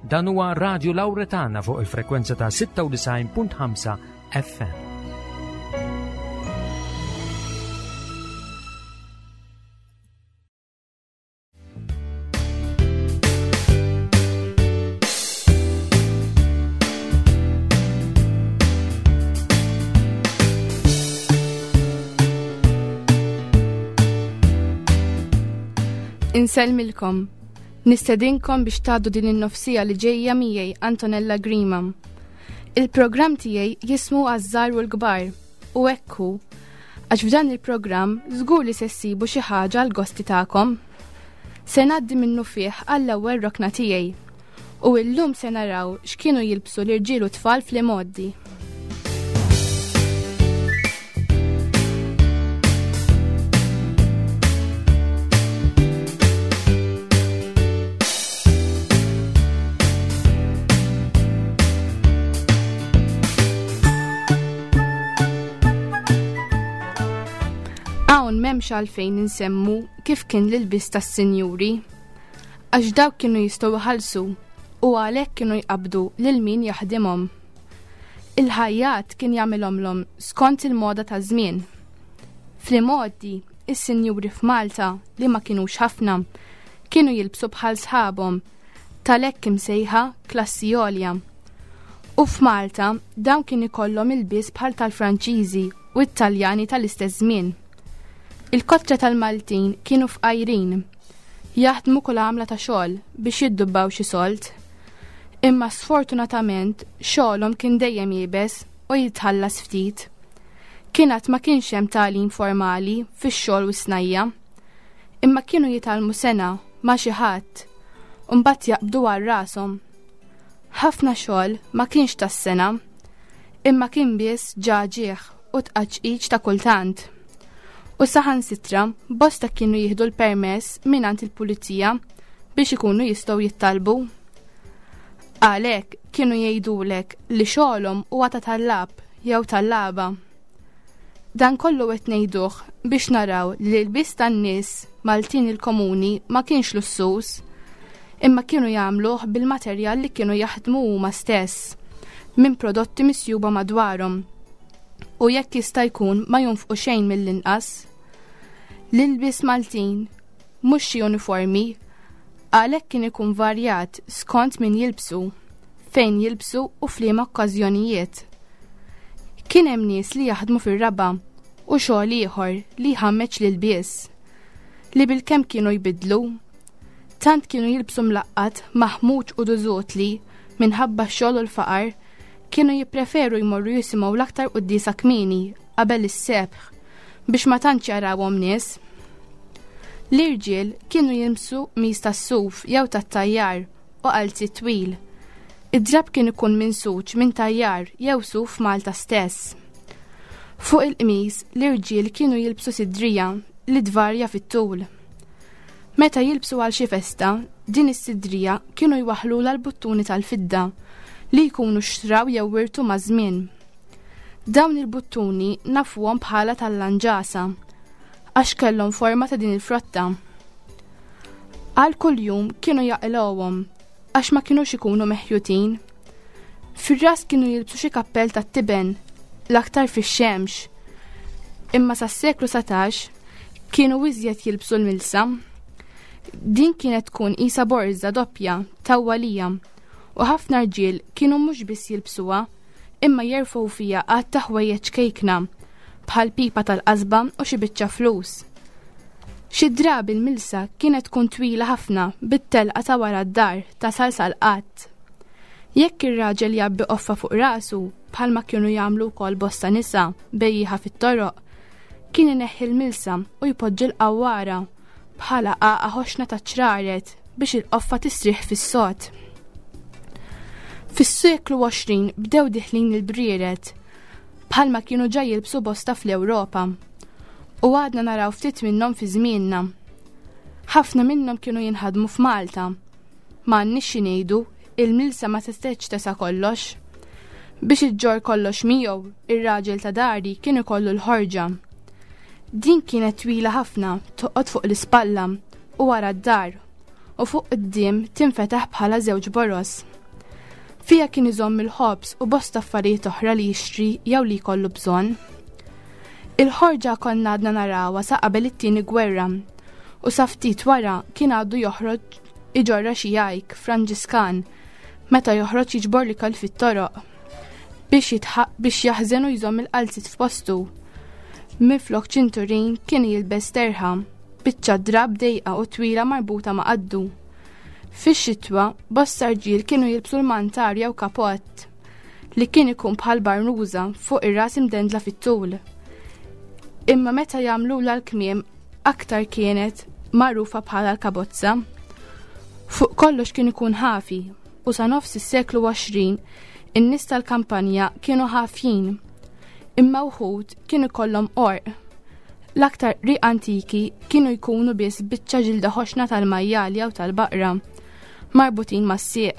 Dan huwa Radio Lauretana fuq il-frekwenza ta' 96.5 FM. Insellmilkom. Nistedinkom biex tgħaddu din in-nofsija li ġejja miegħi Antonella Grima. Il-programm tiegħi jismu għaż-żgħar u l-kbar u hekk hu għax f'dan il-programm żgur li se ssibu xi ħaġa għal gosti tagħkom. Se ngħaddi minnu fih għall-ewwel rokna tiegħi. U illum se naraw x'kienu jilbsu l-irġiel u tfal fl-imgħoddi. Hawn m'hemmx għalfejn insemmu kif kien l-ilbies tas-sinjuri, għax dawk kienu jistgħu jħallsu u għalhekk kienu jqabbdu lil min jaħdimhom. Il-ħajjat kien jagħmilhomlhom skont il-moda taż-żmien. Fl-imgħoddi, is-sinjuri f'Malta li ma kinux ħafna, kienu jilbsu bħal sħabhom tal-hekk imsejħa klassi għolja. U f'Malta dawn kien ikollhom ilbies bħal tal-Franċiżi u t-Taljani tal-istess żmien. Il-kotra tal-Maltin kienu fqajrin, jaħdmu kull għamla ta' xogħol biex jiddubbaw xi sold. Imma sfortunatament xogħolhom kien dejjem iebes u jitħallas ftit. Kien għad ma kienx hemm tagħlim formali fix-xogħol u s-snajja. Imma kienu jitgħallmu sena ma' xi ħadd u mbagħad jaqbdu għal rashom. Ħafna xogħol ma kienx tas-sena, imma kien biss ġaġieħ u tqaċqiċ ta' kultant. U saħansitra bosta kienu jieħdu l-permess mingħand il-pulizija biex ikunu jistgħu jittalbu. Għalhekk kienu jgħidulek li xogħolhom huwa ta' tallab jew tallaba. Dan kollu qed ngħiduh biex naraw li l-ilbies tan-nies Maltin il-komuni ma kienx lussuż, imma kienu jagħmluh bil-materjal li kienu jaħdmu huma stess, minn prodotti misjuba madwarhom. U jekk jista' jkun ma jonfqu xejn mill-inqas. L-ilbies Maltin mhux xi uniformi, għalhekk kien ikun varjat skont min jilbsu, fejn jilbsu u f'liema okkażjonijiet. Kien hemm nies li jaħdmu fir-raba' u xogħol ieħor li jħammeġ l-ilbies, li bilkemm kienu jbiddlu. Tant kienu jilbsu mlaqqat, maħmuġ u dużut li, minħabba x-xogħol u l-faqar, kienu jippreferu jmorru jisimgħu l-aktar quddiesa kmieni qabel is-sebħ biex ma tantx jarawhom nies. L-irġiel kienu jilbsu qmis tas-suf jew tat-tajjar u qalziet twil. Id-drapp kien ikun minsuġ minn tajjar jew suf Malta stess. Fuq il-qmis, l-irġiel kienu jilbsu sidrija li tvarja fit-tul. Meta jilbsu għal xi festa, din is-sidrija kienu jwaħħlulha l-buttuni tal-fidda li jkunu xtraw jew wirtu maż-żmien. Dawn il-buttuni nafuhom bħala tal-lanġasa għax kellhom forma ta' din il-frotta. Għal kuljum kienu jaqilgħuhom għax ma kinux ikunu meħjutin. Fir-ras kienu jilbsu xi kappell tat-tiben, l-aktar fix-xemx. Imma sas-seklu 19 kienu iżjed jilbsu l-milsa. Din kienet tkun qisha borża doppja tawwalija u ħafna rġiel kienu mhux biss jilbsuha imma jerfgħu fiha għadd ta' ħwejjeġ ċkejkna, bħal pipa tal-qasba u xi biċċa flus. Xi drabi l-milsa kienet tkun twila ħafna bit-telqa ta' wara d-dar tasal sal-qatt. Jekk ir-raġel jgħabbi qoffa fuq rasu, bħalma kienu jagħmlu wkoll bosta nisa bejjieħa fit-toroq, kien ineħħi l-milsa u jpoġġi l-qawwara bħala għaqa ħoxna ta' ċraret biex il-qoffa tistrieħ fis-sod. Fis-seklu 20 bdew diħlin il-brieret bħalma kienu ġa jilbsu bosta fl-Ewropa u għadna naraw ftit minnhom fi żmienna. Ħafna minnhom kienu jinħadmu f'Malta. Ma għandniex xi ngħidu, il-milsa ma setgħetx tesa' kollox. Biex iġġorr kollox miegħu, ir-raġel ta' dari kien ikollu l-ħorġa. Din kienet twila ħafna, toqgħod fuq l-ispalla u wara d-dar, u fuq quddiem tinfetaħ bħala żewġ boroż. Fiha kien iżomm il-ħobż u bosta affarijiet oħra li jixtri jew li jkollu bżonn. Il-ħorġa konna għadna narawha sa qabel it-tieni gwerra u sa ftit wara kien għadu joħroġ iġorra xi jajk Franġiskan meta joħroġ jiġbor l-ikel fit-toroq biex biex jaħżen u jżomm il-qalzit f'postu. Minflok ċinturin kien jilbes terħa, biċċa drab dejqa u twila marbuta ma' qaddu. Fix-xitwa, bosta rġiel kienu jilbsu l-mantar jew kapott li kien ikun bħal barnuża fuq ir-ras imdendla fit-tul. Imma meta jagħmlulha l-kmiem aktar kienet magħrufa bħala l-kabozza. Fuq kollox kien ikun ħafi u sa nofs is-seklu 20 in-nies tal-kampanja kienu ħafjin. Imma wħud kienu kollhom qorq. L-aktar qrieq antiki kienu jkunu biss biċċa ġilda ħoxna tal-majjal jew tal-baqra, marbutin mas-sieq.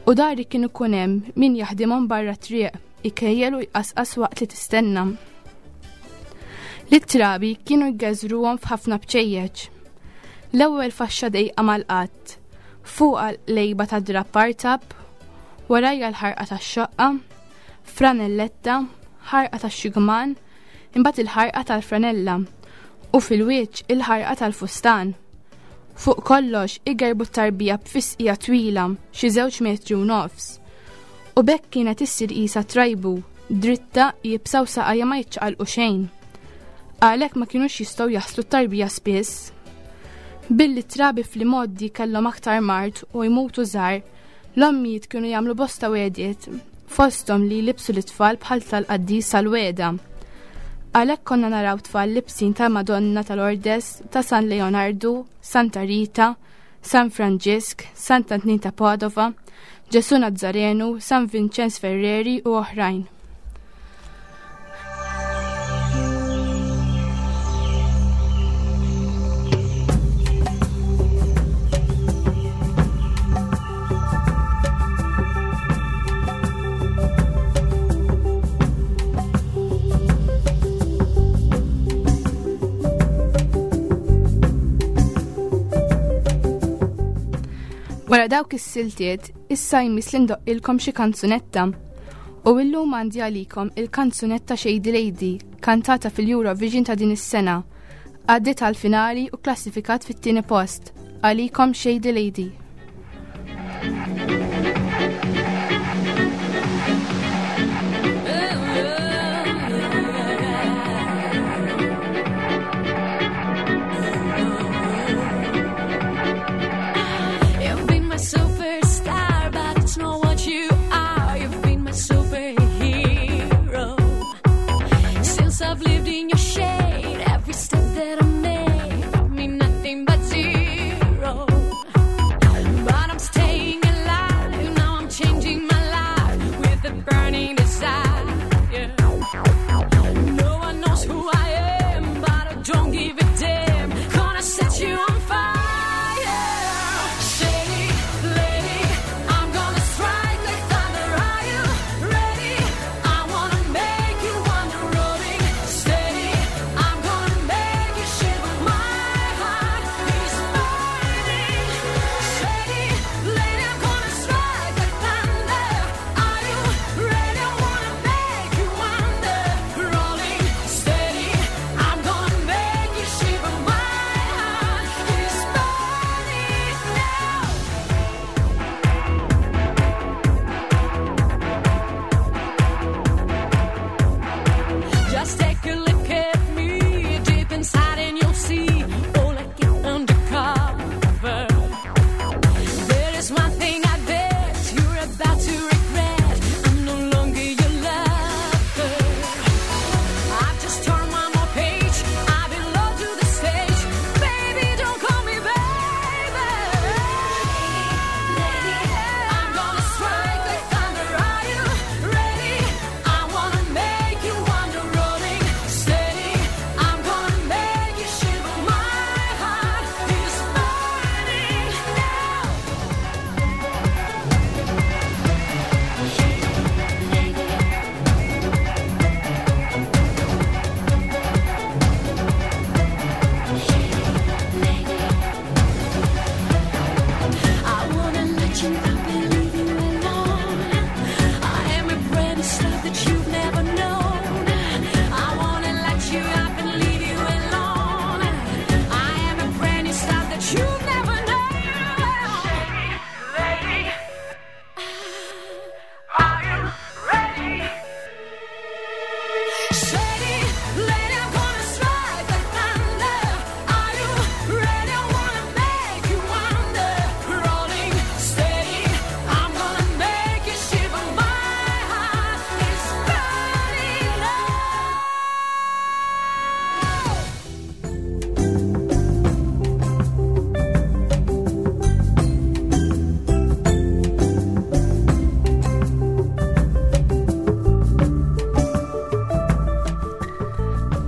U dari kien ikun hemm min jaħdimhom barra triq, ikejjel u jqasqas waqt li tistenna. L-trabi kienu jgeżruhom f'ħafna bċejjeċ. L-ewwel faxxa dejqa mal-qatt, fuqha lejba ta' drapp artab, warajja l-ħarqa tax-xoqqa, franelletta, ħarqa tax-xigman, imbagħad il-ħarqa tal-franella u fil-wiċċ il-ħarqa tal-fustan. Fuq kollox igerbu t-tarbija b'fisqija twila xi żewġ metri u nofs. U bekk kienet issir qisha trajbu, dritta jibsa u saqajja ma jiċċaqalqu xejn. Għalhekk ma kinux jistgħu jaħslu t-tarbija spiss. Billi t-trabi fl-imgħoddi kellhom aktar mard u jmutu żgħar, l-ommijiet kienu jagħmlu bosta wegħdiet, fosthom li jlibbsu lit-tfal bħal tal-qaddis sal-wegħda. Għalhekk konna naraw tfal libsin tal-Madonna tal-Ordes, ta' San Leonardu, Santa Rita, San Franġisk, Sant'Antnin ta' Padova, Ġesu Nazzarenu, San Vinċenz Ferreri u oħrajn. Wara dawk is-siltiet, issa jmiss li ndoqqilkom xi kanzunetta. U illum għandi għalikom il-kanzunetta Shady Lady, kantata fil-Eurovision ta' din is-sena. Għaddiet għall-finali u klassifikat fit-tieni post. Għalikom Shady Lady.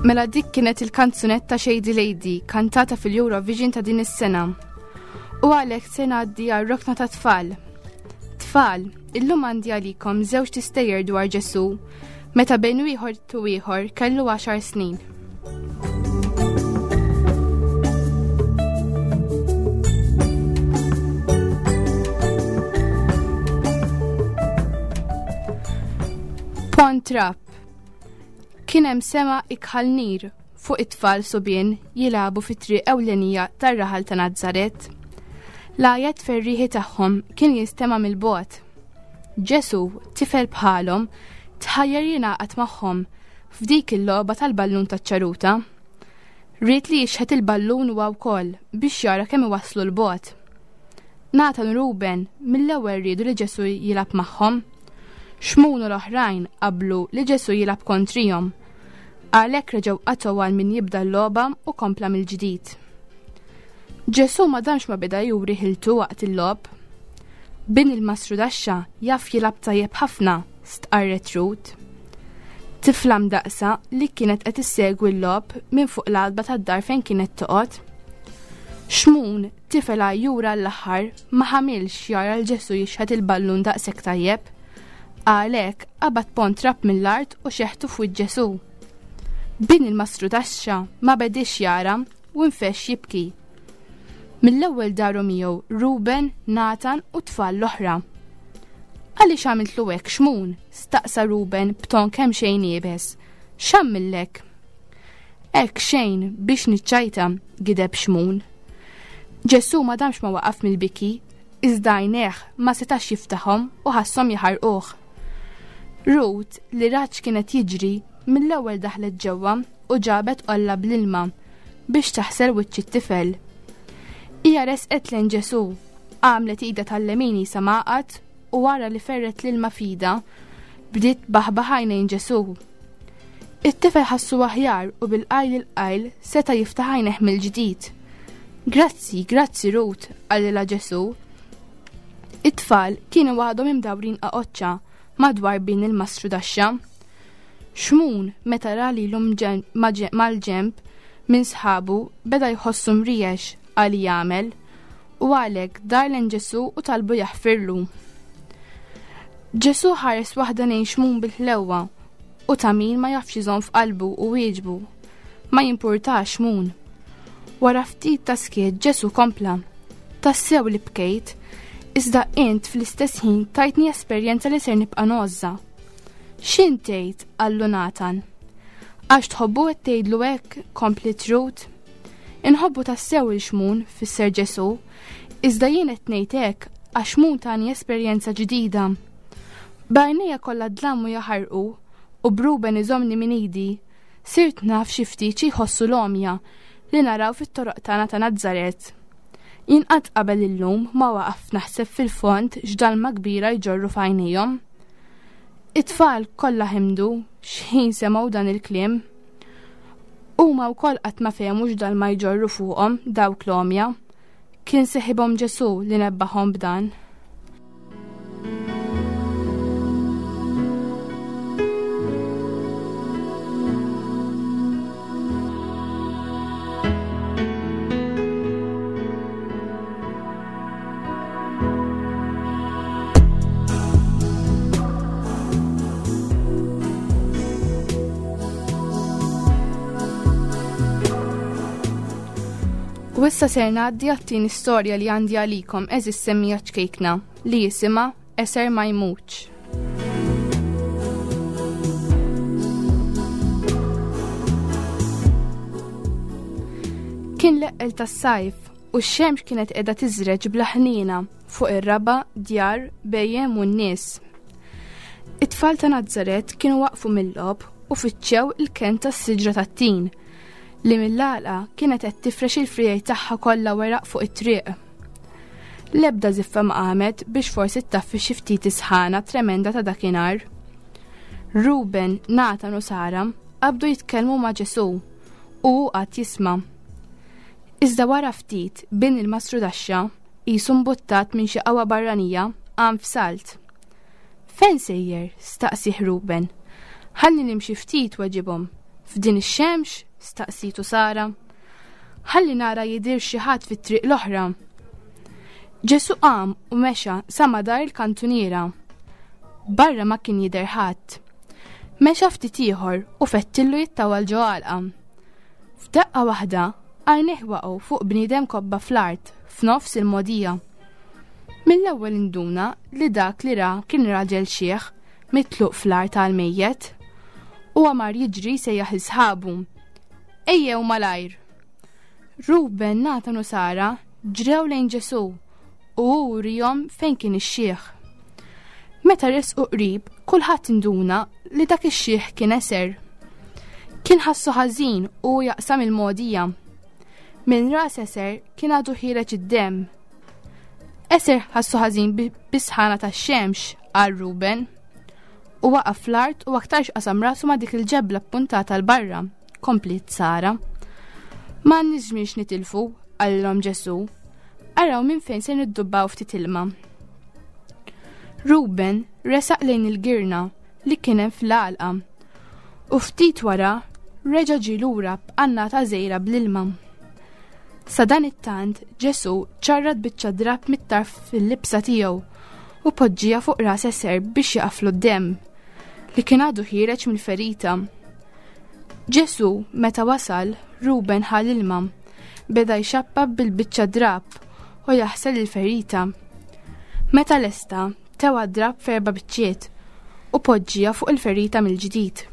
Mela dik kienet il-kanzunetta Shady Lady kantata fil-Eurovision ta' din is-sena. U għalhekk se ngħaddi għal rokna ta' tfal. Tfal, illum għandi għalikom żewġ tistejjer dwar Ġesu meta bejn wieħor tu ieħor kellu għaxar snin. Pont Trap Kien hemm sema ikħal nir fuq it-tfal subien jilagħbu fit-triq ewlenija tar-raħal ta' Nazzaret. L-għajat ferrieħi tagħhom kien jinstema' mill-bogħod. Ġesu, tifel bħalhom, tħajjar jingħaqad magħhom f'dik il-logħba tal-ballun taċ-ċaruta. Ried li jixħet il-ballun huwa wkoll biex jara kemm iwasslu 'l bogħod. Nathan u Ruben mill-ewwel riedu li Ġesu jilgħab magħhom. Xmun u l-oħrajn qablu li Ġesu jilgħab kontrihom. Għalhekk reġgħu qatgħu għal min jibda l-logħba u kompla mill-ġdid. Ġesu ma damx ma beda juri ħiltu waqt il-logħob. Bin il-mastrudaxxa jaf jilgħab tajjeb ħafna, stqarret Ruth. Tifla mdaqsa li kienet qed issegwi l-logħob minn fuq l-għatba tad-dar fejn kienet toqgħod. Xmun, tifel għajjura l-aħħar, ma ħamilx jara l Ġesu jixħet il-ballun daqshekk tajjeb. Għalhekk qabad pont trab mill-art u xeħtu f'wiċċ Ġesu. Bin il-mastrudaxxa ma bediex jara u nfexx jibki. Mill-ewwel daru miegħu Ruben, Nathan u t-tfal l-oħra. Għaliex għamiltlu hekk Xmun? staqsa Ruben b'ton kemm xejn iebes. X'għamillek? Hekk xejn biex niċċajta, gideb Xmun. Ġesù ma damx ma waqaf mill-biki, iżda għajnejh ma setax jiftaħhom u ħasshom jaħarquh. Rut, li rat x'kien qed jiġri, mill-ewwel daħlet ġewwa u ġabet qolla bl-ilma biex taħsel wiċċ it-tifel. Hija resqet lejn Ġesù, għamlet idha tal-lemin qisha magħqad u wara li ferret l-ilma f'idha, bdiet tbaħbaħ għajnejn Ġesù. It-tifel ħassu aħjar u bil-qajl il-qajl seta' jiftaħ għajnejh mill-ġdid. Grazzi, grazzi Rut, qalilha Ġesù. It-tfal kienu għadhom imdawrin qaqoċċa madwar bin il-mastrudaxxa. Xmun, meta ra lilu mal-ġenb minn sħabu, beda jħossu mriex għal jagħmel, u għalhekk dar lejn Ġesù u talbu jaħfirlu. Ġesù ħares waħda lejn Xmun bil-ħlewwa u ta' min ma jafx iżomm f'qalbu u wieġbu. Ma jimpurtax Xmun. Wara ftit ta' skiet Ġesù kompla. Tassew li bkejt, iżda int fl-istess ħin tajtni esperjenza li ser nibqa' ngħożżha. X'int tgħid? qallu Nathan. Għax tħobbu qed tgħidlu hekk, kompliet Ruth. Inħobbu tassew il Xmun, fisser Ġesù, iżda jien qed ngħid hekk għax Xmun tani esperjenza ġdida. B'għajnejja kollha dlam u jaħarqu u b'Ruben iżommni minn idi, sirt naf xi ftit xi jħossu l-għomja li naraw fit-toroq tagħna ta' Nazzaret. Jien qatt qabel illum ma waqaft naħseb fil-fond x'dalma kbira jġorru f'għajnejhom. It-tfal kollha ħimdu x'ħin semgħu dan il-kliem. Huma wkoll qatt ma fehmu x'dalma jġorru fuqhom dawk l-għomja. Kien seħibhom Ġesù li nebbaħhom b'dan. U issa ser ngħaddi għat-tieni storja li għandi għalikom eżis semmija ċkejkna li jisimha Eser ma jmutx. Kien l-eqqel tas-sajf u x-xemx kienet qiegħda tiżreġ bla ħniena fuq ir-raba', djar, bhejjem u n-nies. It-tfal ta' Nazaret kienu waqfu mill-logħob u fittxew il-kenn tas-siġra tat-tin li mill-għalqa kienet qed tifrex il-friegħi tagħha kollha weraq fuq it-triq. L-ebda żiffa ma qamet biex forsi ttaffi xi ftit is-sħana tremenda ta' dakinhar. Ruben, Nathan u Sara qabdu jitkellmu ma' Ġesù u hu qagħad jisma'. Iżda wara ftit, bin il-mastrudaxxa, qisu mbuttat minn xi qawwa barranija, qam f'salt. Fejn sejjer? staqsieh Ruben. Ħalli nimxi ftit, weġibhom. F'din ix-xemx? staqsitu Sara. Ħalli nara jidhir xi ħadd fit-triq l-oħra. Ġesù qam u mexa sa madar il-kantuniera. Barra ma kien jidher ħadd. Mexa ftit ieħor u fettillu jittawal ġo għalqa. F'daqqa waħda, għajnejh waqgħu fuq bniedem kobba fl-art f'nofs il-mogħdija. Mill-ewwel induna li dak li ra kien raġel xiħ mitluq fl-art għal mejjet. Huwa mar jiġri sejjaħ sħabu. Ejjew malajr! Ruben, Natan u Sara ġrew lejn Ġesù u hu wrihom fejn kien ix-xiħ. Meta resqu qrib, kulħadd induna li dak ix-xiħ kien eser. Kien ħassu ħażin u jaqsam il-mogħdija. Minn ras eser kien għadu ħiereġ id-demm. Eser ħassu ħażin bis-sħana tax-xemx, qal Ruben. U waqa' fl-art u aktarx qasam rasu ma' dik il-ġebla ppuntata 'l barra, kompliet Sara. Ma għandniex nitilfu, qalilhom Ġesù. Araw minn fejn se niddubbaw ftit ilma. Ruben resaq lejn il-girna li kien hemm fl-għalqa u ftit wara reġa' ġie lura b'qannata żgħira bl-ilma. Sa dan it-tant Ġesù ċarrat biċċa drapp mit-tarf fil-libsa tiegħu u poġġija fuq ras eser biex jaqaflu d-demm li kien għadu ħiereġ mill-ferita. Ġesù meta wasal, Ruben ħa l-ilma, beda jxappa bil-biċċa drapp u jaħsel il-ferita. Meta lesta, tewa d-drapp f'erba' biċċiet u poġġija fuq il-ferita mill-ġdid.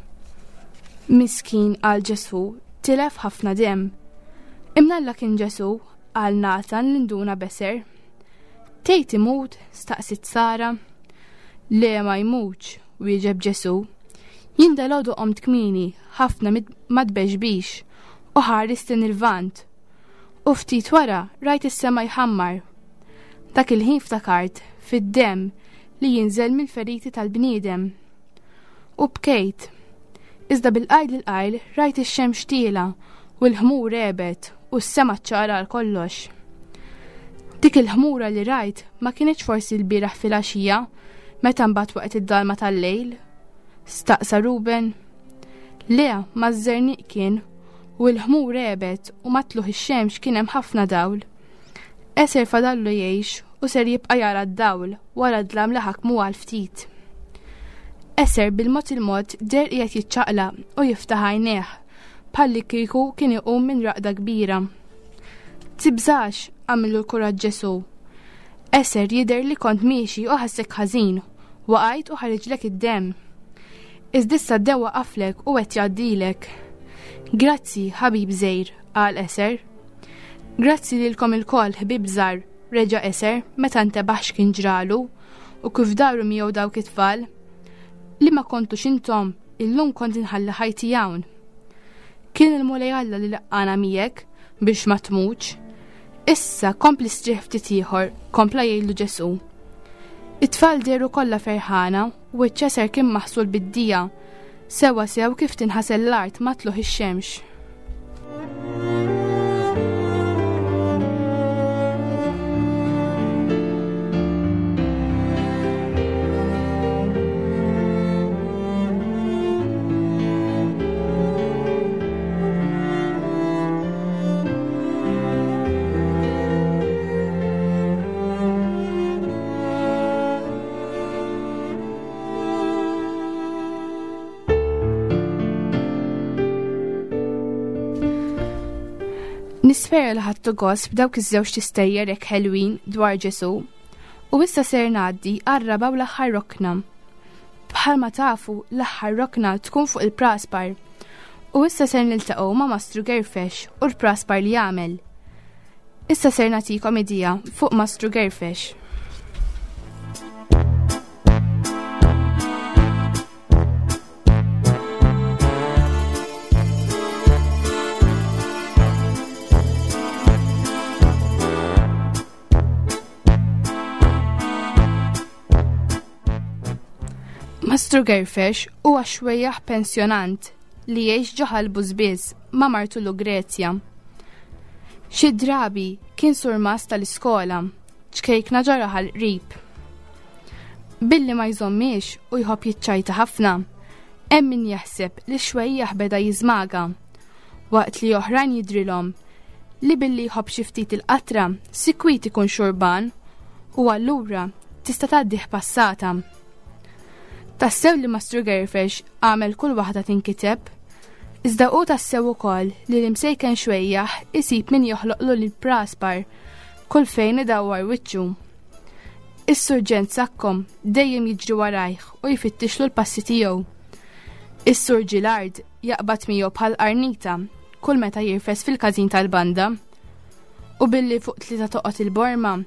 Miskin qal Ġesù, tilef ħafna demm. Imnalla kien Ġesù, qal Natan li nduna beser. Tgħid imut? staqsiet Sara. Le ma jmutx, wieġeb Ġesù. Jien dalgħodu qomt kmieni ħafna ma tbexbix u ħarist lejn il-Lvant. U ftit wara rajt is-sema jħammar. Dak il-ħin ftakart fid-demm li jinżel mill-feriti tal-bniedem. U bkejt. Iżda bil-qajl il-qajl rajt ix-xemx tiela u l-ħmur għebet u s-sema ċċara għal kollox. Dik il-ħmura li rajt ma kinitx forsi l-bieraħ filgħaxija meta mbagħad waqgħet id-dalma tal-lejl? Staqsa Ruben. Le, ma żerniq kien u l-ħmur għebet u ma tluħ ix-xemx kien hemm ħafna dawl. Eser fadallu jgħix u ser jibqa' jara d-dawl wara d-dlam li ħakmu għal ftit. Eser bil-mod il-mod deher qiegħed jiċċaqlaq u jiftaħ għajnejh bħalli kieku kien iqum minn raqda kbira. Tibżax, għamillu l-kuraġġ Ġesù. Eser jidher li kont miexi u ħassek ħażin, waqajt u ħariġlek id-demm. Iżda issa d-demm waqaflek u qed jgħaddilek. Grazzi, ħabib żgħir, qal Eser. Grazzi lilkom ilkoll, ħbieb żgħar, reġa' Eser meta ntebaħ x'kien ġralu u kif daru miegħu dawk it-tfal. Li ma kontux intom, illum kont inħalli ħajti hawn. Kien il-Mulej Alla li laqqana miegħek biex ma tmutx. Issa kompli strieħ ftit ieħor, kompla jgħidlu Ġesù. It-tfal dehru kollha ferħana u ċ-ċeser kien maħsul bid-dija, sewwa sew kif tinħasel l-art ma' tlugħ ix-xemx. Nispera li ħadtu gost b'dawk iż-żewġ tistejjer hekk ħelwin dwar Ġesù. U issa ser ngħaddi għar-raba' u l-aħħar rokna. Bħalma tafu, l-aħħar rokna tkun fuq il-praspar. U issa ser niltaqgħu ma' Mastru Gerfex u l-praspar li jagħmel. Issa ser nagħtikom idea fuq Mastru Gerfex. Mastru Gerfex huwa xwejjaħ pensjonant li jgħix ġo Ħal Bużbież ma' martu Lugrezja. Xi drabi kien surmast tal-iskola, ċkejkna ġo raħal qrib. Billi ma jżommiex u jħobb jiċċajta ħafna, Hemm min jaħseb li x-xwejjaħ beda jiżmaga, waqt li oħrajn jidhrilhom li billi jħobb xi ftit il-qatra sikwit ikun xurban u allura tista' tgħaddih passata. Tassew li Mastru Gerfex għamel kull waħda tinkiteb, iżda hu tassew ukoll li l-imsejken xwejjaħ isib min joħloqlu lil praspar kull fejn idawwar wiċċu. Is-Surġent Sacco dejjem jiġri warajh u jfittixlu l-passi tiegħu. Is-Sur Gilard jaqbad miegħu bħal qarnita kull meta jirfes fil-każin tal-banda. U billi fuq tlieta toqgħod il-borma,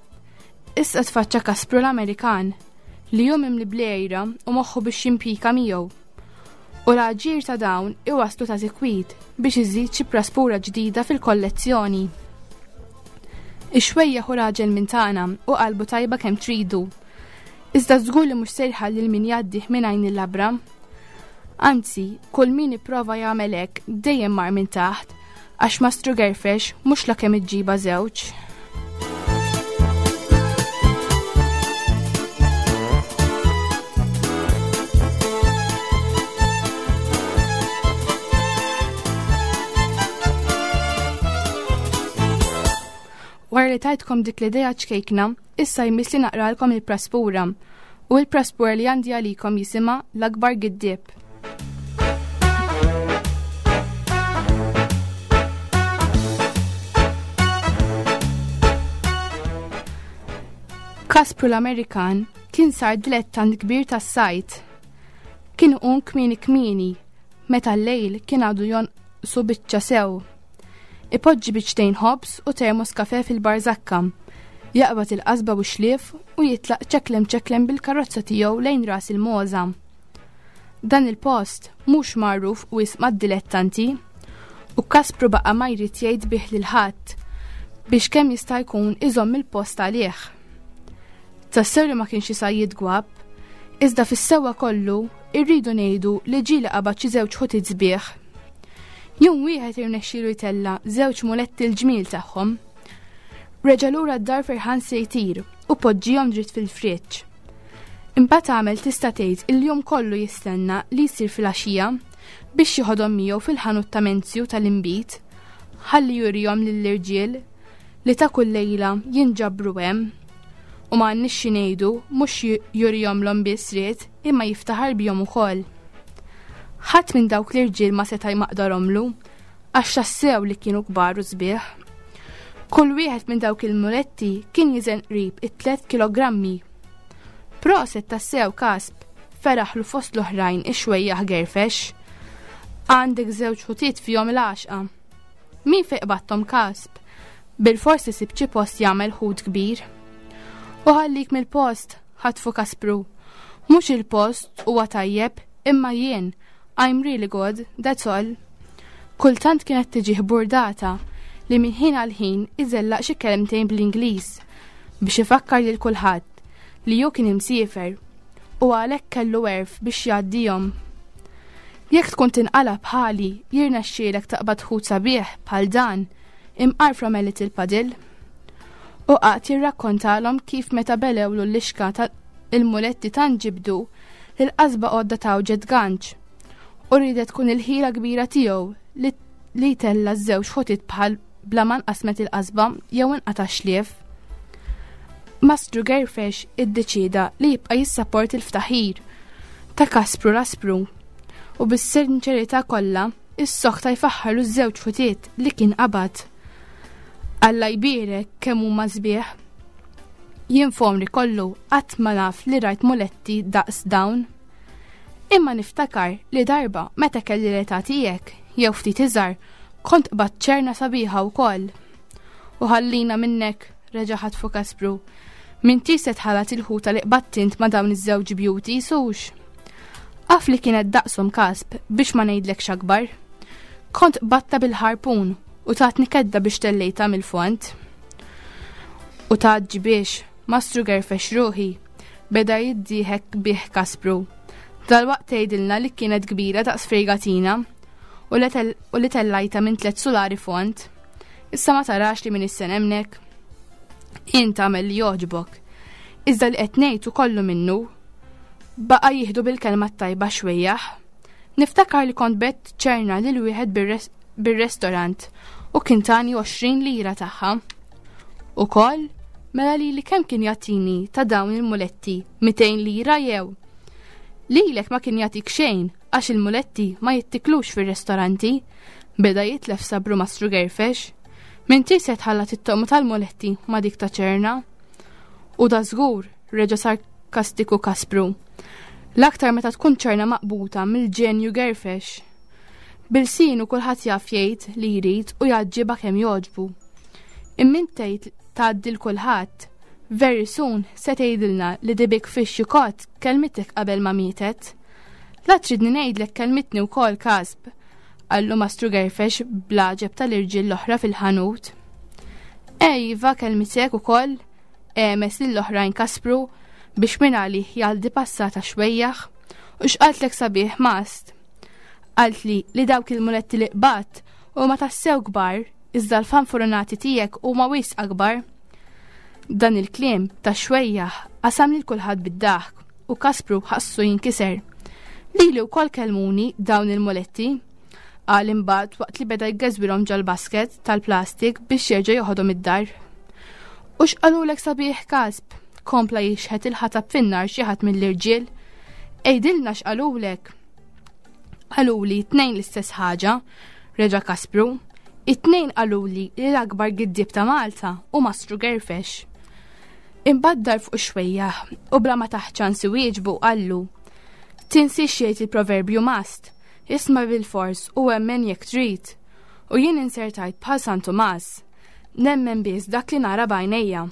issa tfaċċa Kaspru l-Amerikan li hu mimli bl-għira u moħħu biex jimpika miegħu. U l-aġir ta' dawn iwasslu ta' sikwit biex iżid xi praspura ġdida fil-kollezzjoni. Ix-xwejjaħ hu raġel minn tagħna u qalbu tajba kemm tridu. Iżda żgur li mhux se jħalli lil min jgħaddih minn għajn il-labra. Anzi, kull min ipprova jagħmel hekk dejjem mar minn taħt għax Mastru Gerfex mhux la kemm iġġiba żewġ. Wara li tajtkom dik l-idea ċkejkna, issa jmiss li naqralkom il-praspura. U il-praspura li għandi għalikom jisimha l-akbar giddieb. Kaspru l-Amerikan kien sar dilettant kbir tas-sajt. Kien iqum kmieni kmieni, meta l-lejl kien għadu jonqsu biċċa sew. Ipoġġi biċċtejn ħobż u termos kafe fil-barżakka, jaqbad il-qasba u x-xlief u jitlaq ċeklem ċeklem bil-karozza tiegħu lejn ras il-Mogħża. Dan il-post mhux magħruf wisq mad-dilettanti u Kaspru baqa' ma jrid jgħid bih lil ħadd biex kemm jista' jkun iżomm il-post għalih. Tassew li ma kienx isajjid gwapp, iżda fis-sewwa kollu irridu ngħidu li ġieli qabad xi żewġ ħutiet sbieħ. Jum wieħed irnexxielu jtella' żewġ muletti l-ġmiel tagħhom. Reġa' lura d-dar ferħan se jtir u poġġihom dritt fil-friġġ. Imbagħad għamel tista' tgħid il-jum kollu jistenna li jsir filgħaxija biex jieħodhom miegħu fil-ħanut ta' Menzju tal-inbid ħalli jurihom lill-irġiel li ta' kull lejla jinġabru hemm. U ma għandniex xi ngħidu mhux jurihomlhom biss ried imma jiftaħar bihom ukoll. Ħadd minn dawk l-irġiel ma seta' jmaqdarhomlu għax tassew li kienu kbar u sbieħ. Kull wieħed minn dawk il-muletti kien jiżen qrib it-tlet kilogrammi. Proset tassew Kasp, feraħlu fost l-oħrajn ix-xwejjaħ Gerfex. Għandek żewġ ħutiet fihom il-għaxqa. Min fejn qbadthom Kasp? Bilfors isib xi post jagħmel ħut kbir. U ħallik mill-post, ħatfu Kaspru. Mhux il-post huwa tajjeb, imma jien, I'm really good, that's all. Kultant kienet tiġih burdata li minn ħin għal ħin iżellaq xi kelmtejn bl-Ingliż biex ifakkar lil kulħadd li hu kien imsiefer u għalhekk kellu għerf biex jgħaddihom. Jekk tkun tinqala' bħali jirnexxielek taqbad ħut sabiħ bħal dan imqar from a little puddle. U qagħad jirrakkontalhom kif meta belewlu l-lixka ta' il-muletti tant ġibdu li l-qasba għodda tgħawġet ganċ u riedet tkun il-ħila kbira tiegħu li li jtella' ż-żewġ ħutiet bħal bla ma nqasmet il-qasba jew inqata' x-xlief. Mastru Gerfex iddeċieda li jibqa' jissapporti l-ftaħir ta' Kaspru l-Aspru u bis-sinċerità kollha issokta jfaħħarlu ż-żewġ ħutiet li kien qabad. Alla jbierek kemm huma sbieħ. Jien f'għomri kollu qatt ma naf li rajt muletti daqs dawn. Imma niftakar li darba meta kelli l-età tiegħek jew ftit iżgħar kont qbadt ċerna sabiħa wkoll. U ħallina minnek, reġa' ħatfu Kaspru. M'intix se tħallat il-ħuta li qbadt int ma' dawn iż-żewġ beauties hux? Af li kienet daqshom Kasp biex ma ngħidlekx akbar. Kont qbadtha bil-ħarpun u tatni kedda biex tellejtha mill-fond. U tgħaġġibiex, Mastru gerfex ruħi, beda jiddieħek bih Kaspru. Dalwaqt tgħidilna li kienet kbira daqs fregatina u li tellajta minn tlet sulari fond. Issa ma tarax li m'iniex se nemmnek? Int agħmel li jogħġbok. Iżda li qed ngħid hu kollu minnu. Baqa' jieħdu bil-kelma t-tajba xwejjaħ. Niftakar li kont bett ċerna lil wieħed bir-restorant u kien tani 20 lira tagħha. Ukoll, mela lili kemm kien jagħtini ta' dawn il-muletti, 200 lira jew? Lilek ma kien jagħtik xejn għax il-muletti ma jittiklux fir-restoranti, beda jitlef sabru Mastru Gerfex. M'intix se tħallat it-toqma tal-muletti ma' dik ta' ċerna. U da żgur, reġa' sarkastiku Kaspru. L-aktar meta tkun ċerna maqbuta mill-ġenju Gerfex. Bilsinu kulħadd jaf jgħid li jrid u jgħaġġibha kemm jogħġbu. Imma int tgħid tgħaddi l kulħadd. Very soon se tgħidilna li the big fish you caught kelmitek qabel ma mietet. La tridni ngħidlek kelmitni wkoll Kasb, qallu Mastru Gerfex bl-għaġeb tal-irġiel l-oħra fil-ħanut. Ej, iva kelmitek ukoll, għemes lill-oħrajn Kaspru biex minn għalih jgħaddi passata xwejjaħ u x'qaltlek sabiħ mast. Qaltli li dawk il-muletti li qbadt huma tassew kbar iżda l-fanfurunati tiegħek huma wisq akbar. Dan il-kliem ta' xwejjaħ qasam lil kulħadd bid-daħk u Kaspru ħassu jinkiser. Lili wkoll kellmuni dawn il-muletti, qal imbagħad waqt li beda jgeżwirhom ġol-basket tal-plastik biex jerġa' joħodhom id-dar. U x'qalulek sabiħ Kasp? Kompla jixħet il-ħatab fin-nar xi ħadd mill-irġiel. Għidilna x'qalulek. Qaluli t-tnejn l-istess ħaġa, reġa' Kaspru. It-tnejn qaluli li l-akbar giddieb ta' Malta hu Mastru Gerfex. Imbagħad dar fuq ix-xwejjaħ u bla ma tah ċans iwieġbu qallu, Tinsiex jgħid il-proverbju mast, isma' bilfors u emmen jekk trid. U jien insertajt bħal San Tumas, nemmen biss dak li nara b'għajnejja.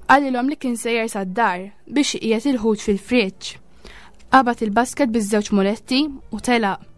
Qalilhom li kien sejjer sad-dar biex iqiegħed il-ħut fil-friġġ. Qabad il-basket biż-żewġ muletti u telaq.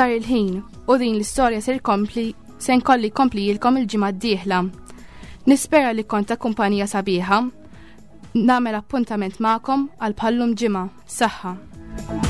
Sar il-ħin u din l-istorja ser kompli se nkolli komplijilkom il-ġimgħa d-dieħla. Nispera li kont ta' kumpanija sabiħa. Nagħmel appuntament magħkom għal bħallum ġimgħa. Saħħa.